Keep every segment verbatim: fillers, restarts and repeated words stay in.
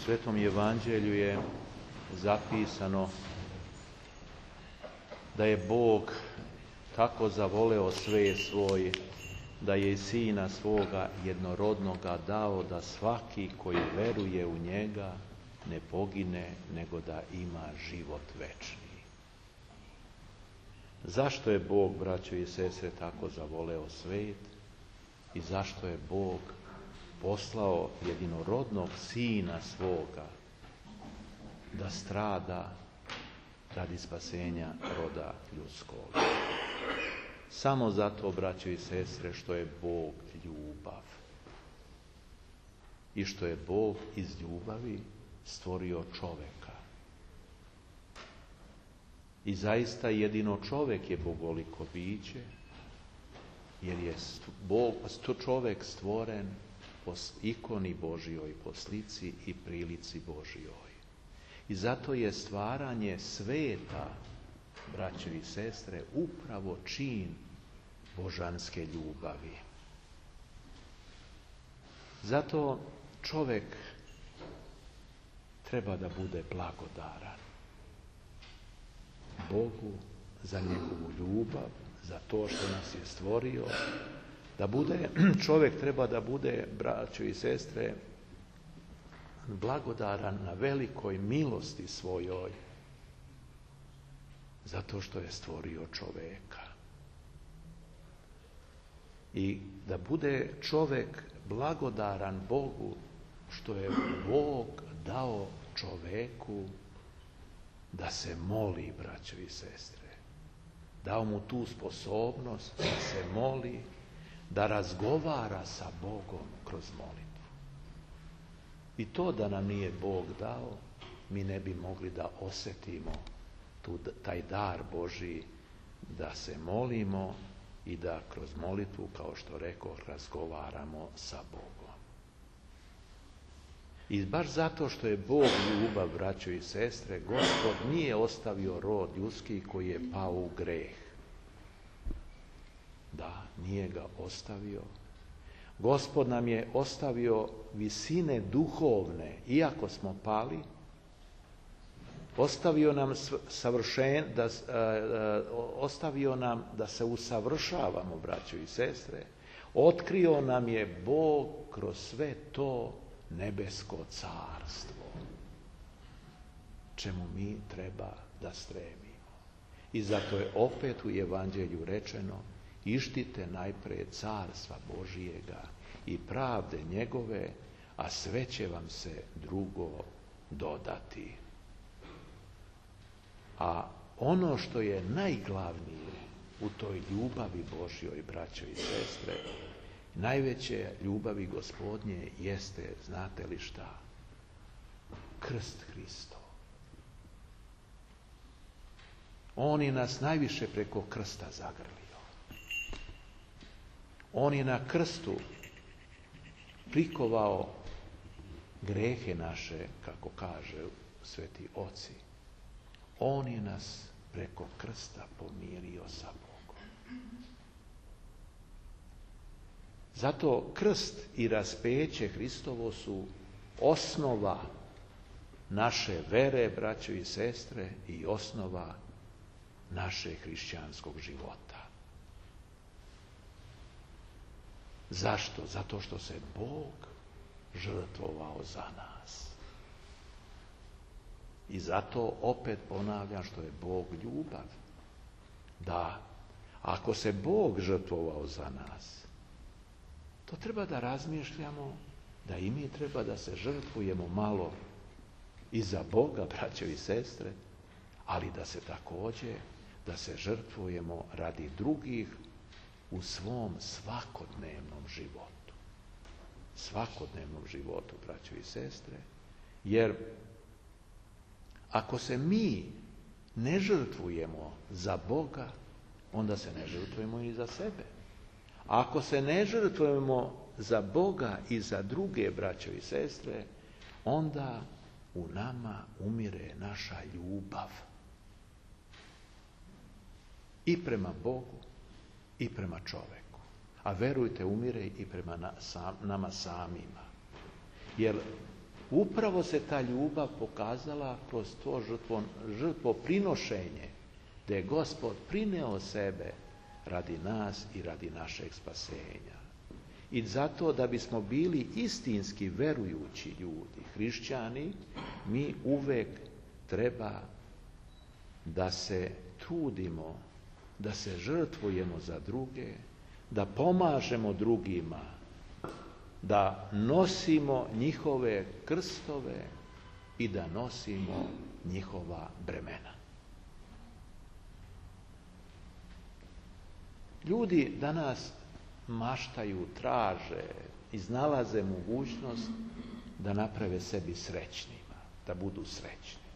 Svetom Evanđelju je zapisano da je Bog tako zavoleo sve svoj, da je i Sina svoga jednorodnoga dao, da svaki koji veruje u njega ne pogine, nego da ima život večni. Zašto je Bog, braćo i sestre, tako zavoleo svet i zašto je Bog poslao jedinorodnog Sina svoga da strada radi spasenja roda ljudskog? Samo zato, braćo i sestre, što je Bog ljubav i što je Bog iz ljubavi stvorio čoveka. I zaista jedino čovek je bogoliko biće, jer je Bog, čovek stvoren po ikoni Božjoj, po slici i prilici Božjoj. I zato je stvaranje sveta, braćo i sestre, upravo čin božanske ljubavi. Zato čovek treba da bude blagodaran Bogu za njegovu ljubav, za to što nas je stvorio. Da bude, čovjek treba da bude, braćo i sestre, blagodaran na velikoj milosti svojoj, zato što je stvorio čoveka. I da bude čovjek blagodaran Bogu što je Bog dao čoveku da se moli, braćo i sestre. Dao mu tu sposobnost da se moli, da razgovara sa Bogom kroz molitvu. I to da nam nije Bog dao, mi ne bi mogli da osjetimo tu, taj dar Božji, da se molimo i da kroz molitvu, kao što rekao, razgovaramo sa Bogom. I baš zato što je Bog ljubav, braćo i sestre, Gospod nije ostavio rod ljudski koji je pao u greh. Da, nije ga ostavio. Gospod nam je ostavio visine duhovne, iako smo pali, ostavio nam savršen, da, uh, uh, ostavio nam da se usavršavamo, braćo i sestre. Otkrio nam je Bog kroz sve to nebesko carstvo, čemu mi treba da stremimo. I zato je opet u Evanđelju rečeno: ištite najprije carstva Božijega i pravde njegove, a sve će vam se drugo dodati. A ono što je najglavnije u toj ljubavi Božjoj, braćo i sestre, najveće ljubavi Gospodnje jeste, znate li šta? Krst Hristov. On je nas najviše preko krsta zagrlio. On je na krstu prikovao grehe naše, kako kaže sveti oci. On je nas preko krsta pomirio sa Bogom. Zato krst i raspeće Hristovo su osnova naše vere, braćo i sestre, i osnova našeg hrišćanskog života. Zašto? Zato što se Bog žrtvovao za nas. I zato opet ponavljam što je Bog ljubav. Da, ako se Bog žrtvovao za nas, to treba da razmišljamo da i mi treba da se žrtvujemo malo i za Boga, braćo i sestre, ali da se također, da se žrtvujemo radi drugih u svom svakodnevnom životu. Svakodnevnom životu, braćo i sestre, jer ako se mi ne žrtvujemo za Boga, onda se ne žrtvujemo i za sebe. Ako se ne žrtvujemo za Boga i za druge, braćo i sestre, onda u nama umire naša ljubav. I prema Bogu, i prema čoveku. A verujte, umire i prema nama samima. Jer upravo se ta ljubav pokazala kroz to žrtvo, žrtvoprinošenje, da je Gospod prineo sebe radi nas i radi našeg spasenja. I zato da bismo bili istinski verujući ljudi, hrišćani, mi uvek treba da se trudimo, da se žrtvujemo za druge, da pomažemo drugima, da nosimo njihove krstove i da nosimo njihova bremena. Ljudi danas maštaju, traže, iznalaze mogućnost da naprave sebi srećnima, da budu srećni.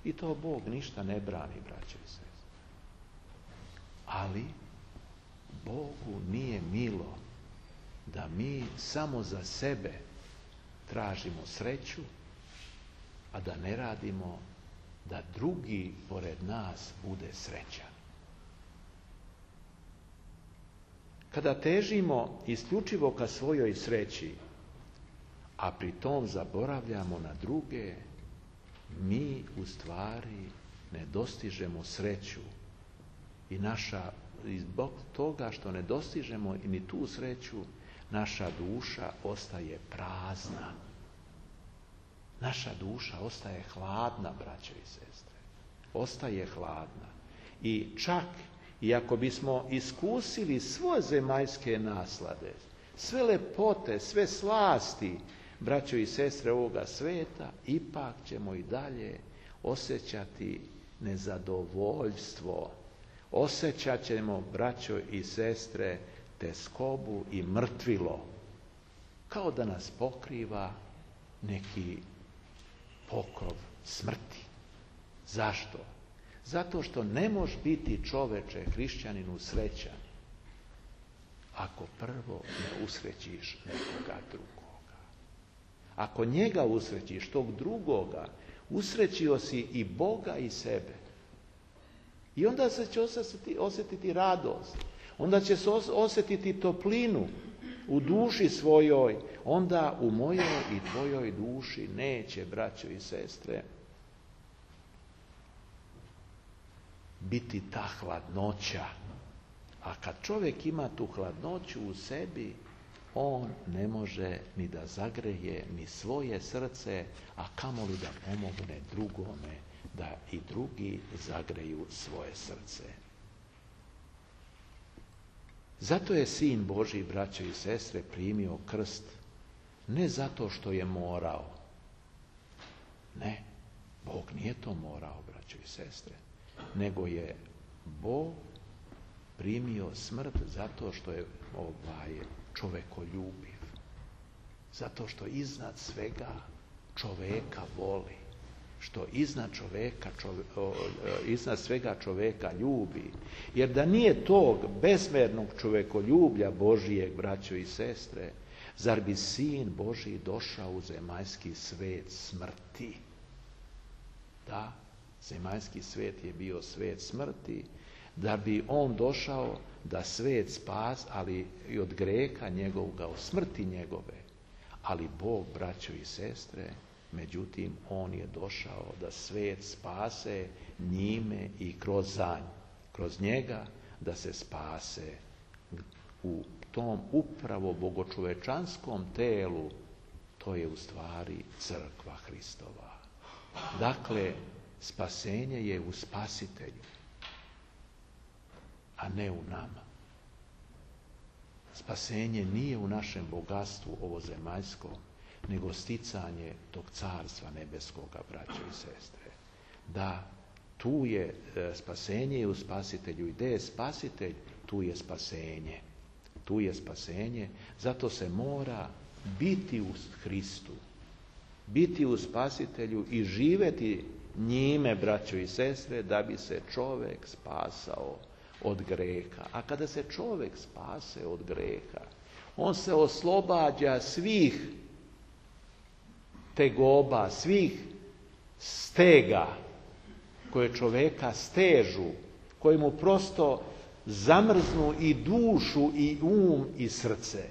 I to Bog ništa ne brani, braćo i sestre. Ali Bogu nije milo da mi samo za sebe tražimo sreću, a da ne radimo da drugi pored nas bude srećan. Kada težimo isključivo ka svojoj sreći, a pri tom zaboravljamo na druge, mi u stvari ne dostižemo sreću i naša, i zbog toga što ne dostižemo ni tu sreću, naša duša ostaje prazna. Naša duša ostaje hladna, braćo i sestre. Ostaje hladna. I čak i ako bismo iskusili sve zemaljske naslade, sve lepote, sve slasti, braćo i sestre, ovoga sveta, ipak ćemo i dalje osjećati nezadovoljstvo. Osjećat ćemo, braćo i sestre, teskobu i mrtvilo, kao da nas pokriva neki pokrov smrti. Zašto? Zato što ne može biti čoveče, hrišćaninu, srećan ako prvo ne usrećiš nekoga drugoga. Ako njega usrećiš, tog drugoga, usrećio si i Boga i sebe. I onda se će osjetiti, osjetiti radost. Onda će se osjetiti toplinu u duši svojoj. Onda u mojoj i tvojoj duši neće, braćo i sestre, biti ta hladnoća. A kad čovjek ima tu hladnoću u sebi, on ne može ni da zagreje ni svoje srce, a kamoli da pomogne drugome da i drugi zagreju svoje srce. Zato je Sin Božji, braćo i sestre, primio krst ne zato što je morao. Ne, Bog nije to morao, braćo i sestre, nego je Bog primio smrt zato što je ovaj čovekoljubiv, zato što iznad svega čoveka voli, što iznad čoveka, čove, iznad svega čoveka ljubi. Jer da nije tog bezmernog čovekoljublja Božijeg, braćo i sestre, zar bi Sin Božji došao u zemaljski svet smrti? Da, zemaljski svet je bio svet smrti, da bi on došao da svet spas, ali i od greha njegovoga, od smrti njegove. Ali Bog, braćo i sestre, međutim, on je došao da svet spase njime i kroz zanj, kroz njega da se spase u tom upravo bogočovečanskom telu, to je u stvari crkva Hristova. Dakle, spasenje je u Spasitelju, a ne u nama. Spasenje nije u našem bogatstvu ovozemaljskom, nego sticanje tog carstva nebeskoga, braćo i sestre. Da, tu je spasenje i u Spasitelju. I gdje je Spasitelj, tu je spasenje. Tu je spasenje, zato se mora biti u Hristu, biti u Spasitelju i živjeti njime, braćo i sestre, da bi se čovjek spasao od greha. A kada se čovjek spase od greha, on se oslobađa svih tegoba, svih stega koje čovjeka stežu, koji mu prosto zamrznu i dušu i um i srce.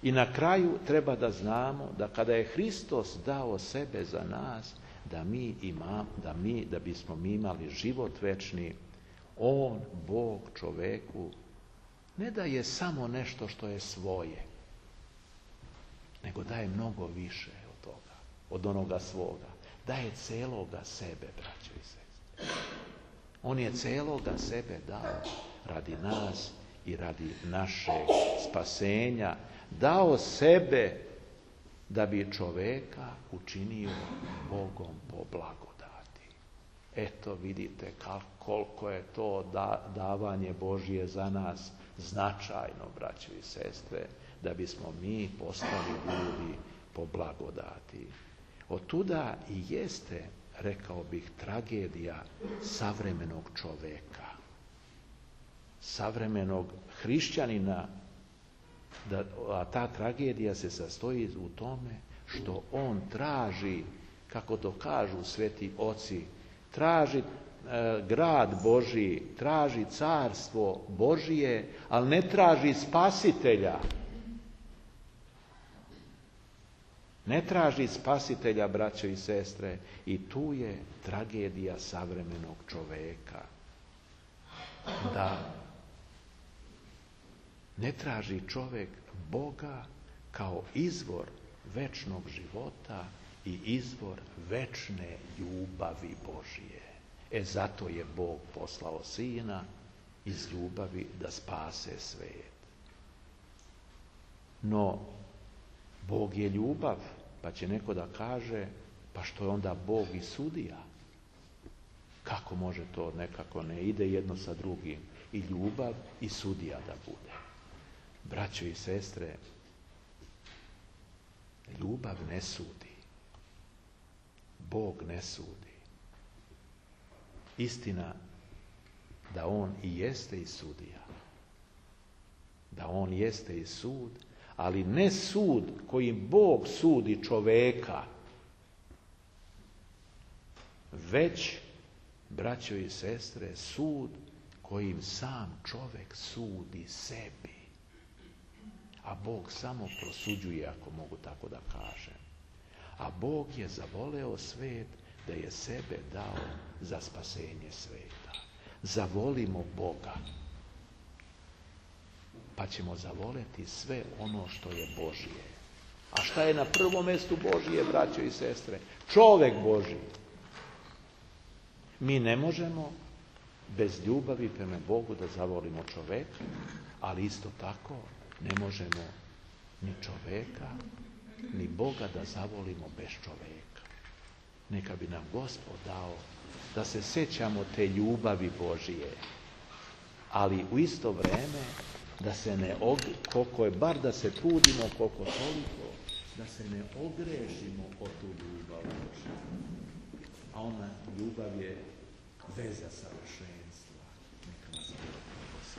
I na kraju treba da znamo da kada je Hristos dao sebe za nas, da mi imamo, da mi, da bismo mi imali život večni, on, Bog, čoveku, ne daje samo nešto što je svoje, nego daje mnogo više od toga, od onoga svoga. Daje celoga sebe, braćo i sestre. On je celoga sebe dao radi nas i radi našeg spasenja. Dao sebe da bi čoveka učinio Bogom po blagodati. Eto vidite koliko je to davanje Božje za nas značajno, braćo i sestre, da bismo mi postali ljudi po blagodati. Otuda i jeste, rekao bih, tragedija savremenog čoveka, savremenog hrišćanina, da, a ta tragedija se sastoji u tome što on traži, kako to kažu sveti oci, traži e, grad Božji, traži carstvo Božije, ali ne traži spasitelja. Ne traži spasitelja, braćo i sestre, i tu je tragedija savremenog čoveka. Da ne traži čovjek Boga kao izvor večnog života i izvor večne ljubavi Božije. E zato je Bog poslao Sina iz ljubavi da spase svijet. No, Bog je ljubav, pa će neko da kaže, pa što je onda Bog i sudija? Kako može to nekako ne ide jedno sa drugim? I ljubav i sudija da bude. Braćo i sestre, ljubav ne sudi. Bog ne sudi. Istina da on i jeste i sudija. Da on jeste i sud, ali ne sud kojim Bog sudi čoveka, već, braćo i sestre, sud kojim sam čovek sudi sebi. A Bog samo prosuđuje, ako mogu tako da kažem. A Bog je zavoleo svet da je sebe dao za spasenje sveta. Zavolimo Boga, pa ćemo zavoleti sve ono što je Božije. A šta je na prvom mjestu Božije, braćo i sestre? Čovek Božji. Mi ne možemo bez ljubavi prema Bogu da zavolimo čoveka, ali isto tako ne možemo ni čoveka, ni Boga da zavolimo bez čoveka. Neka bi nam Gospod dao da se sećamo te ljubavi Božije, ali u isto vrijeme da se ne, og... koliko je, bar da se trudimo, koliko toliko, da se ne ogrešimo o tu ljubav Božju. A ona ljubav je veza savršenstva. Neka nas Bog